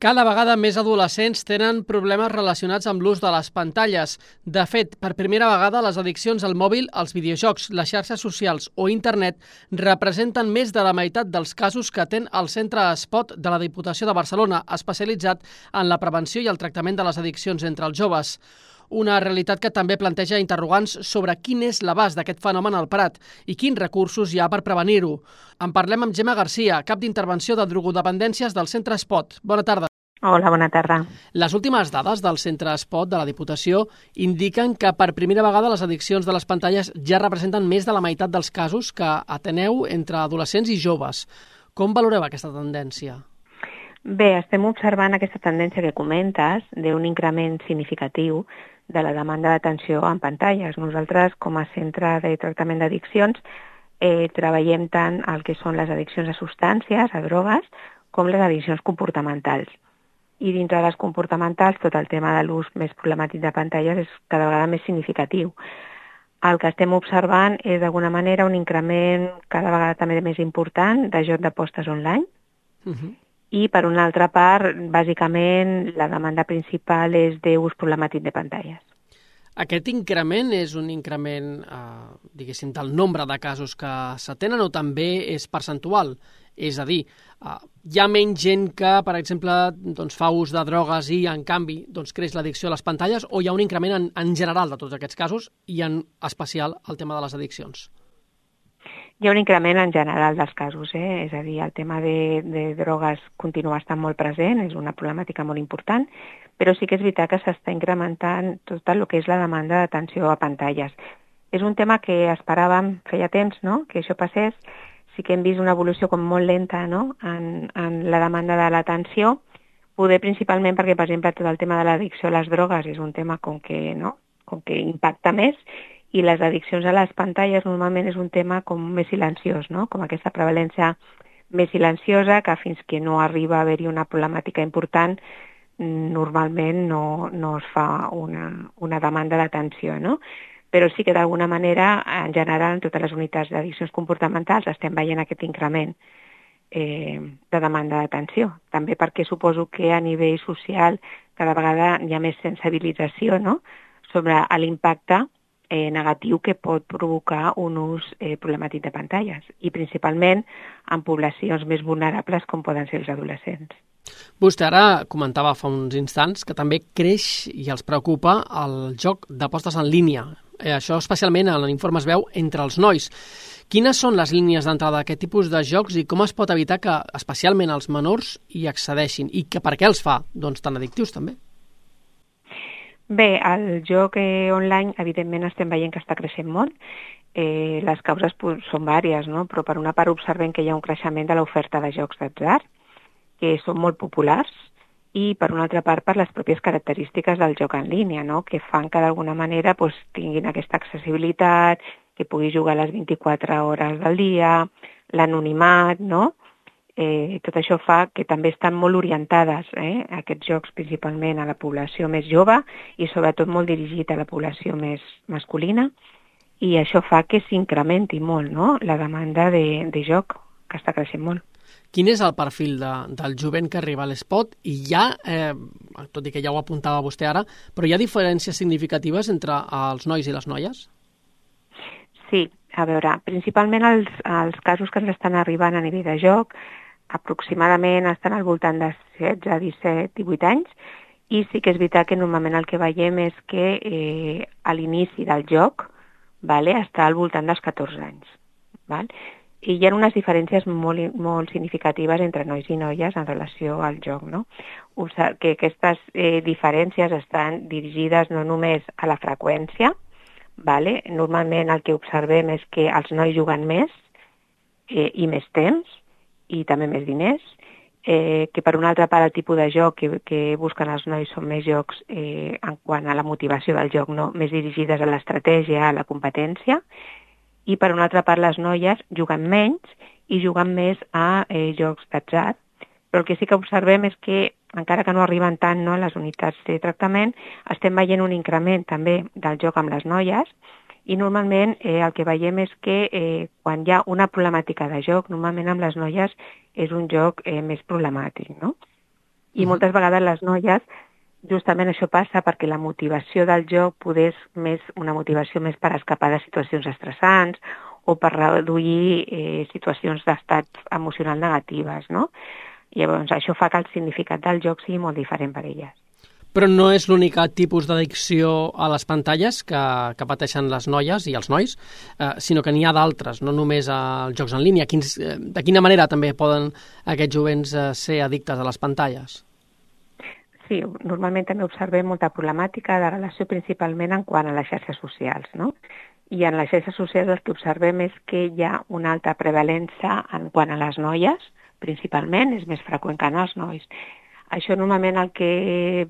Cada vegada més adolescents tenen problemes relacionats amb l'ús de les pantalles. De fet, per primera vegada, les addiccions al mòbil, als videojocs, les xarxes socials o internet representen més de la meitat dels casos que atén el Centre Espot de la Diputació de Barcelona, especialitzat en la prevenció i el tractament de les addiccions entre els joves. Una realitat que també planteja interrogants sobre quin és l'abast d'aquest fenomen al Prat i quins recursos hi ha per prevenir-ho. En parlem amb Gemma Garcia, cap d'intervenció de drogodependències del Centre Espot. Bona tarda. Hola, bona tarda. Les últimes dades del Centre Espot de la Diputació indiquen que per primera vegada les addiccions de les pantalles ja representen més de la meitat dels casos que ateneu entre adolescents i joves. Com valoreu aquesta tendència? Bé, estem observant aquesta tendència que comentes d'un increment significatiu de la demanda d'atenció en pantalles. Nosaltres, com a centre de tractament d'addiccions, treballem tant el que són les addiccions a substàncies, a drogues, com les addiccions comportamentals. I dintre de les comportamentals, tot el tema de l'ús més problemàtic de pantalles és cada vegada més significatiu. El que estem observant és, d'alguna manera, un increment cada vegada també més important de joc d'apostes online. I, per una altra part, bàsicament, la demanda principal és d'ús problemàtic de pantalles. Aquest increment és un increment, diguéssim, del nombre de casos que s'atenen o també és percentual? És a dir, hi ha menys gent que, per exemple, fa ús de drogues i, en canvi, creix l'addicció a les pantalles, o hi ha un increment en general de tots aquests casos i en especial el tema de les addiccions? Hi ha un increment en general dels casos, és a dir, el tema de drogues continua estant molt present, és una problemàtica molt important, però sí que és veritat que s'està incrementant tot el que és la demanda d'atenció a pantalles. És un tema que esperàvem feia temps, no?, que això passés. Sí que hem vist una evolució com molt lenta, no?, en la demanda de l'atenció, poder principalment perquè, per exemple, tot el tema de l'addicció a les drogues és un tema com que impacta més, i les addiccions a les pantalles normalment és un tema com més silenciós, no?, com aquesta prevalència més silenciosa que fins que no arriba a haver-hi una problemàtica important normalment no es fa una demanda d'atenció, no? Però sí que d'alguna manera, en general, en totes les unitats d'addiccions comportamentals estem veient aquest increment de demanda d'atenció. També perquè suposo que a nivell social cada vegada hi ha més sensibilització, no?, sobre l'impacte negatiu que pot provocar un ús problemàtic de pantalles i principalment en poblacions més vulnerables com poden ser els adolescents. Vostè ara comentava fa uns instants que també creix i els preocupa el joc d'apostes en línia. Això especialment en l'informe es veu entre els nois. Quines són les línies d'entrada d'aquest tipus de jocs i com es pot evitar que especialment els menors hi accedeixin i que per què els fa tan addictius també? Bé, el joc online evidentment estem veient que està creixent molt. Les causes són vàries, no?, però per una part observem que hi ha un creixement de l'oferta de jocs d'atzar, que són molt populars, i per una altra part per les pròpies característiques del joc en línia, no?, que fan que d'alguna manera tinguin aquesta accessibilitat, que pugui jugar a les 24 hores del dia, l'anonimat, no? Tot això fa que també estan molt orientades, aquests jocs principalment a la població més jove i sobretot molt dirigit a la població més masculina, i això fa que s'incrementi molt, no?, la demanda de joc, que està creixent molt. Quin és el perfil del jovent que arriba a l'Espot? I hi ha, tot i que ja ho apuntava vostè ara, però hi ha diferències significatives entre els nois i les noies? Sí, a veure, principalment els casos que ens estan arribant a nivell de joc aproximadament estan al voltant de 16, 17, 18 anys, i sí que és veritat que normalment el que veiem és que a l'inici del joc està al voltant dels 14 anys. I hi ha unes diferències molt significatives entre nois i noies en relació al joc, no? Que aquestes diferències estan dirigides no només a la freqüència, normalment el que observem és que els nois juguen més i més temps i també més diners, que per una altra part el tipus de joc que busquen els nois són més jocs en quant a la motivació del joc, no? Més dirigides a l'estratègia, a la competència, i per una altra part les noies juguen menys i juguen més a jocs d'atzar, però el que sí que observem és que, encara que no arriben tant, no, a les unitats de tractament, estem veient un increment també del joc amb les noies, i normalment el que veiem és que quan hi ha una problemàtica de joc, normalment amb les noies és un joc més problemàtic, no? I moltes vegades les noies, justament això passa perquè la motivació del joc poder és més una motivació més per escapar de situacions estressants o per reduir situacions d'estat emocional negatives, no? Llavors, això fa que el significat del joc sigui molt diferent per elles. Però no és l'únic tipus d'addicció a les pantalles que pateixen les noies i els nois, sinó que n'hi ha d'altres, no només als jocs en línia. De quina manera també poden aquests jovents ser addictes a les pantalles? Sí, normalment també observem molta problemàtica de relació principalment en quant a les xarxes socials, no? I en les xarxes socials el que observem és que hi ha una alta prevalença en quant a les noies, principalment, és més freqüent que en els nois. Això normalment el que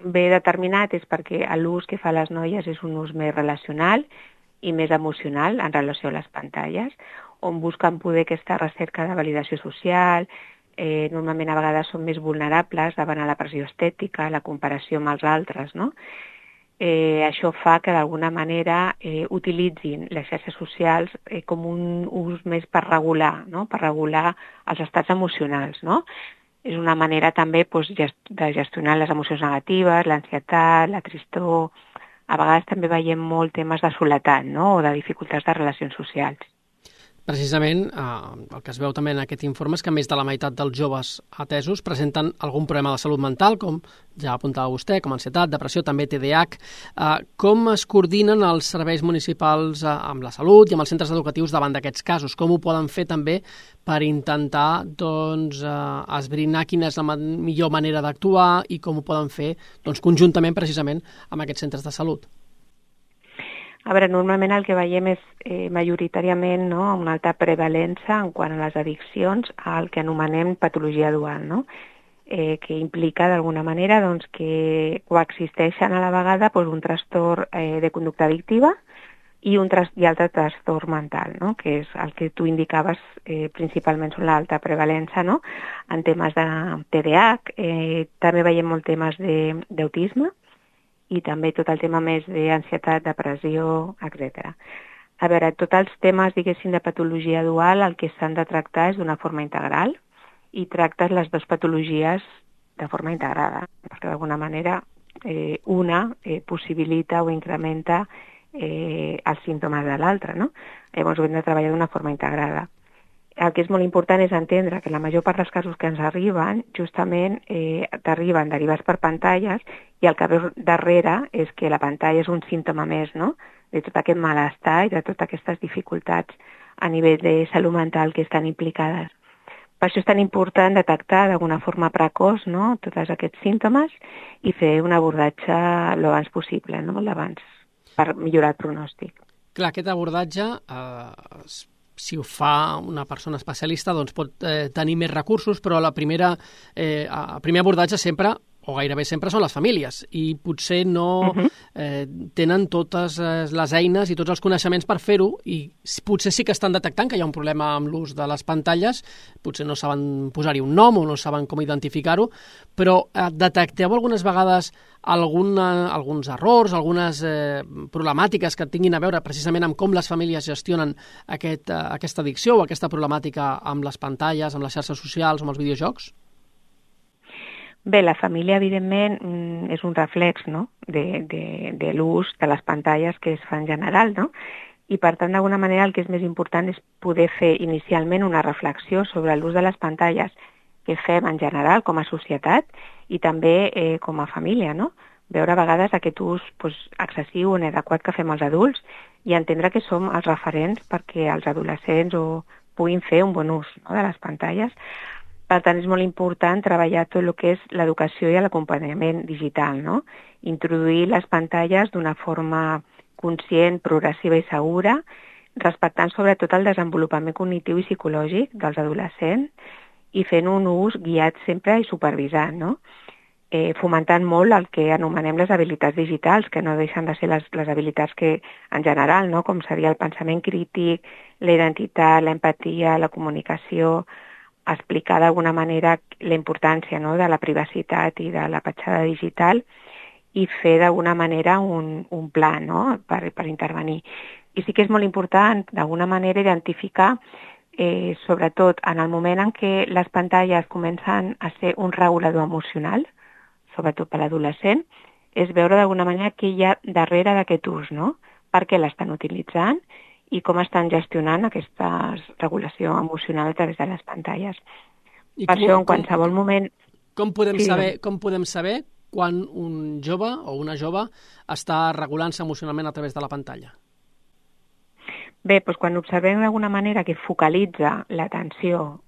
ve determinat és perquè l'ús que fa les noies és un ús més relacional i més emocional en relació a les pantalles, on busquen poder aquesta recerca de validació social, normalment a vegades són més vulnerables davant a la pressió estètica, la comparació amb els altres, no? Això fa que d'alguna manera utilitzin les xarxes socials com un ús més per regular, no? Per regular els estats emocionals, no? És una manera també de gestionar les emocions negatives, l'ansietat, la tristor. A vegades també veiem molt temes de soledat, no? O de dificultats de relacions socials. Precisament, el que es veu també en aquest informe és que més de la meitat dels joves atesos presenten algun problema de salut mental, com ja apuntava vostè, com ansietat, depressió, també TDAH. Com es coordinen els serveis municipals amb la salut i amb els centres educatius davant d'aquests casos? Com ho poden fer també per intentar esbrinar quina és la millor manera d'actuar i com ho poden fer conjuntament precisament amb aquests centres de salut? A veure, normalment el que veiem és majoritàriament, no, una alta prevalença en quant a les addiccions al que anomenem patologia dual, no? Que implica d'alguna manera que coexisteixen a la vegada un trastorn de conducta addictiva i altre trastorn mental, no? Que és el que tu indicaves, principalment són l'alta prevalença, no? En temes de TDAH, també veiem molt temes d'autisme, i també tot el tema més d'ansietat, depressió, etc. A veure, tots els temes, diguéssim, de patologia dual, el que s'han de tractar és d'una forma integral i tractes les dues patologies de forma integrada, perquè d'alguna manera una possibilita o incrementa els símptomes de l'altra, no? Llavors ho hem de treballar d'una forma integrada. El que és molt important és entendre que la major part dels casos que ens arriben, justament t'arriben derivats per pantalles i el que ve darrere és que la pantalla és un símptoma més, no?, de tot aquest malestar i de totes aquestes dificultats a nivell de salut mental que estan implicades. Per això és tan important detectar d'alguna forma precoç, no?, tots aquests símptomes i fer un abordatge l'abans possible, no?, l'abans, per millorar el pronòstic. Clar, aquest abordatge si ho fa una persona especialista, pot tenir més recursos, però el primer abordatge sempre, o gairebé sempre, són les famílies, i potser no tenen totes les eines i tots els coneixements per fer-ho, i potser sí que estan detectant que hi ha un problema amb l'ús de les pantalles, potser no saben posar-hi un nom o no saben com identificar-ho, però detecteu algunes vegades alguns errors, algunes problemàtiques que tinguin a veure precisament amb com les famílies gestionen aquesta addicció o aquesta problemàtica amb les pantalles, amb les xarxes socials, amb els videojocs? Bé, la família, evidentment, és un reflex, no?, de l'ús de les pantalles que es fa en general, no? I, per tant, d'alguna manera, el que és més important és poder fer inicialment una reflexió sobre l'ús de les pantalles que fem en general com a societat i també com a família, no? Veure a vegades aquest ús excessiu o inadequat que fem els adults i entendre que som els referents perquè els adolescents puguin fer un bon ús, no?, de les pantalles. Per tant, és molt important treballar tot el que és l'educació i l'acompanyament digital, no? Introduir les pantalles d'una forma conscient, progressiva i segura, respectant sobretot el desenvolupament cognitiu i psicològic dels adolescents i fent un ús guiat sempre i supervisat, no? Fomentant molt el que anomenem les habilitats digitals, que no deixen de ser les habilitats que, en general, no?, com seria el pensament crític, la identitat, l'empatia, la comunicació, explicar d'alguna manera la importància, no?, de la privacitat i de la petjada digital i fer d'alguna manera un pla, no?, per intervenir. I sí que és molt important, d'alguna manera, identificar sobretot en el moment en què les pantalles comencen a ser un regulador emocional, sobretot per l'adolescent, és veure d'alguna manera què hi ha darrere d'aquest ús, no? Per què l'estan utilitzant i com estan gestionant aquesta regulació emocional a través de les pantalles. I per això, en qualsevol moment... Com podem saber quan un jove o una jove està regulant-se emocionalment a través de la pantalla? Bé, doncs quan observem d'alguna manera que focalitza l'atenció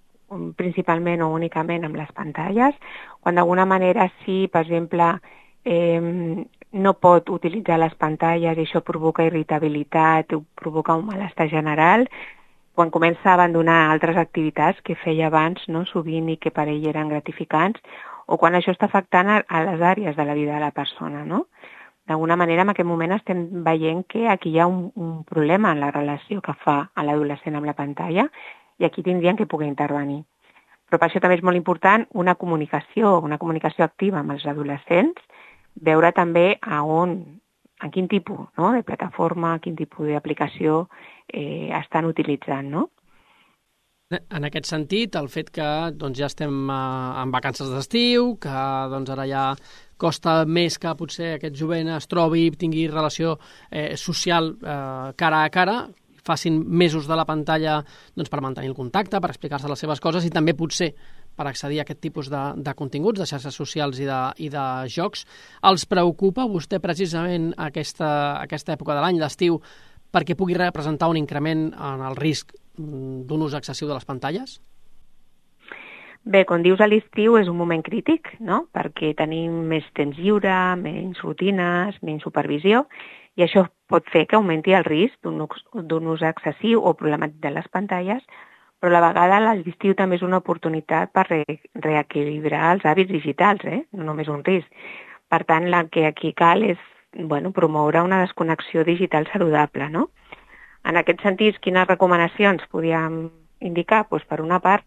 principalment o únicament amb les pantalles, quan d'alguna manera sí, per exemple, no pot utilitzar les pantalles i això provoca irritabilitat, provoca un malestar general, quan comença a abandonar altres activitats que feia abans, no, sovint, i que per ell eren gratificants, o quan això està afectant a les àrees de la vida de la persona, no? D'alguna manera, en aquest moment estem veient que aquí hi ha un problema en la relació que fa a l'adolescent amb la pantalla i aquí tindrien que poder intervenir. Però per això també és molt important una comunicació activa amb els adolescents, veure també en quin tipus, no, de plataforma, quin tipus d'aplicació estan utilitzant, no? En aquest sentit, el fet que ja estem en vacances d'estiu, que ara ja costa més que potser aquest jovent es trobi, tingui relació social cara a cara, facin més ús de la pantalla per mantenir el contacte, per explicar-se les seves coses i també potser per accedir a aquest tipus de continguts, de xarxes socials i de jocs. Els preocupa a vostè precisament aquesta època de l'any, l'estiu, perquè pugui representar un increment en el risc d'un ús excessiu de les pantalles? Bé, com dius, a l'estiu és un moment crític, no? Perquè tenim més temps lliure, menys rutines, menys supervisió, i això pot fer que augmenti el risc d'un ús excessiu o problemàtic de les pantalles, però a la vegada l'estiu també és una oportunitat per reequilibrar els hàbits digitals, no només un risc. Per tant, el que aquí cal és promoure una desconnexió digital saludable, no? En aquest sentit, quines recomanacions podríem indicar? Doncs, per una part,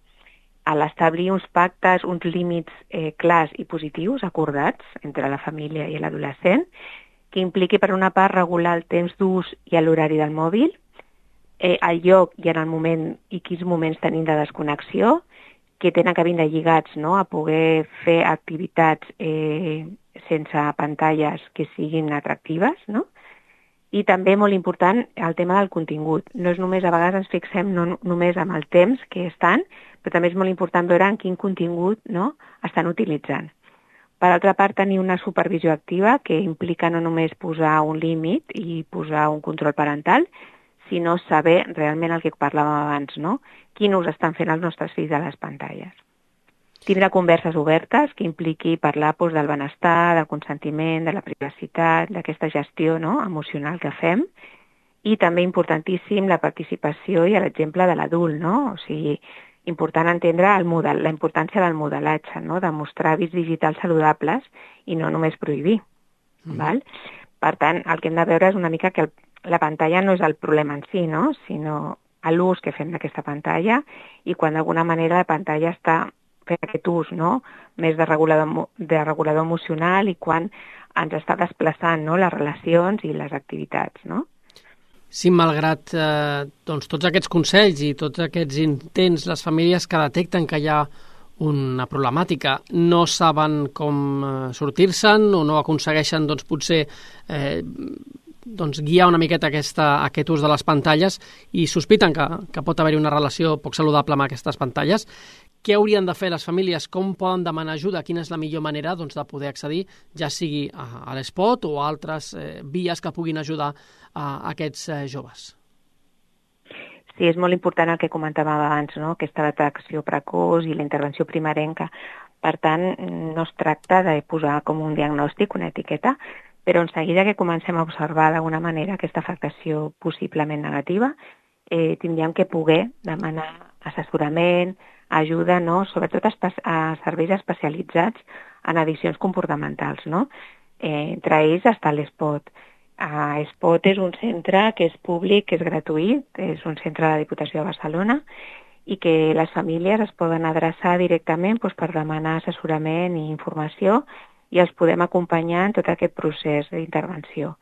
a l'establir uns pactes, uns límits clars i positius acordats entre la família i l'adolescent, que impliqui, per una part, regular el temps d'ús i l'horari del mòbil, el lloc i en el moment i quins moments tenim de desconnexió, que tenen que vindre lligats, no?, a poder fer activitats sense pantalles que siguin atractives, no? I també, molt important, el tema del contingut. No és només, a vegades ens fixem només amb el temps que estan, però també és molt important veure en quin contingut, no?, estan utilitzant. Per altra part, tenir una supervisió activa que implica no només posar un límit i posar un control parental, sinó saber realment el que parlàvem abans, no? Quin ús estan fent els nostres fills de les pantalles. Tindre converses obertes que impliqui parlar del benestar, del consentiment, de la privacitat, d'aquesta gestió, no?, emocional que fem, i també importantíssim la participació i l'exemple de l'adult, no? O sigui, important entendre la importància del modelatge, no?, de mostrar hàbits digitals saludables i no només prohibir. Val? Per tant, el que hem de veure és una mica que la pantalla no és el problema en si, no?, sinó l'ús que fem d'aquesta pantalla i quan d'alguna manera la pantalla està fent aquest ús, no?, més de regulador emocional i quan ens està desplaçant, no?, les relacions i les activitats, no? Sí, malgrat tots aquests consells i tots aquests intents, les famílies que detecten que hi ha una problemàtica no saben com sortir-se'n o no aconsegueixen potser guiar una miqueta aquest ús de les pantalles i sospiten que pot haver-hi una relació poc saludable amb aquestes pantalles. Què haurien de fer les famílies? Com poden demanar ajuda? Quina és la millor manera de poder accedir, ja sigui a l'Espot o a altres vies que puguin ajudar a aquests joves? Sí, és molt important el que comentàvem abans, no?, aquesta detecció precoç i la intervenció primerenca. Per tant, no es tracta de posar com un diagnòstic, una etiqueta, però en seguida que comencem a observar d'alguna manera aquesta afectació possiblement negativa, tindríem que poder demanar assessorament, ajuda, no?, sobretot a serveis especialitzats en addiccions comportamentals, no? Entre ells està l'Espot. Espot és un centre que és públic, que és gratuït, és un centre de la Diputació de Barcelona i que les famílies es poden adreçar directament per demanar assessorament i informació i els podem acompanyar en tot aquest procés d'intervenció.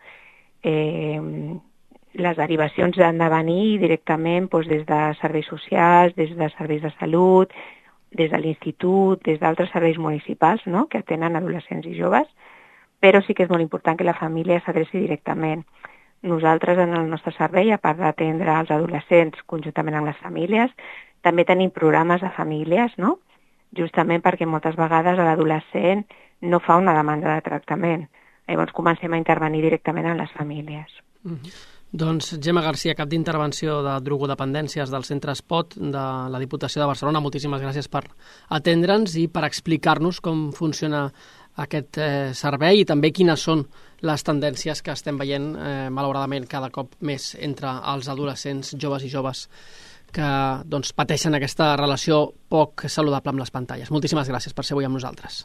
les derivacions han de venir directament doncs, des de serveis socials, des de serveis de salut, des de l'institut, des d'altres serveis municipals, no?, que atenen adolescents i joves, però sí que és molt important que la família s'adreci directament. Nosaltres, en el nostre servei, a part d'atendre els adolescents conjuntament amb les famílies, també tenim programes de famílies, no?, justament perquè moltes vegades l'adolescent no fa una demanda de tractament. Llavors comencem a intervenir directament en les famílies. Doncs Gemma Garcia, cap d'intervenció de drogodependències del Centre Espot de la Diputació de Barcelona, moltíssimes gràcies per atendre'ns i per explicar-nos com funciona aquest servei i també quines són les tendències que estem veient, malauradament, cada cop més entre els adolescents, joves i joves que pateixen aquesta relació poc saludable amb les pantalles. Moltíssimes gràcies per ser avui amb nosaltres.